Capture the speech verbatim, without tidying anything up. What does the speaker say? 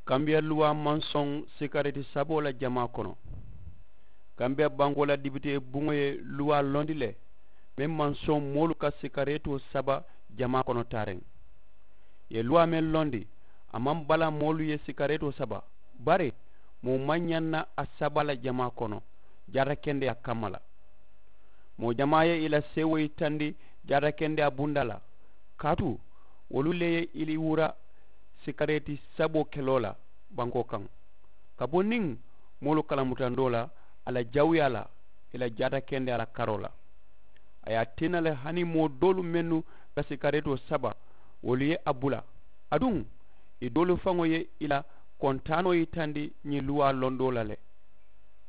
Kambiya luwaa maŋ soŋ sikareeti saboo la jamaa kono. Kambiya bankoo la dibitee buŋo ye luwaa londi le meŋ maŋ soŋ moolu ka sikareetoo saba jamaa kono taariŋ. Ì ye luwaa meŋ londi, a maŋ bala moolu ye sikareetoo saba, bari moo maŋ ñaŋ na a saba la jamaa kono jaatakendeyaa kamma la. Moo jamaa ye ì la seewoo yitandi jaatakendeyaa bundaa la, kaatu wolu le ye ì wura sikareeti saboo keloo la bankoo kaŋ, ka bo niŋ moolu kalamutandoo la a la jawuyaa la ì la jaatakendeyaa la karoo la. A ye a tinna le hani moo doolu mennu ka sikareetoo saba, wolu ye a bula. Aduŋ ì doolu faŋo ye ì la kontaanoo yitandi ñiŋ luwaa londoo la le.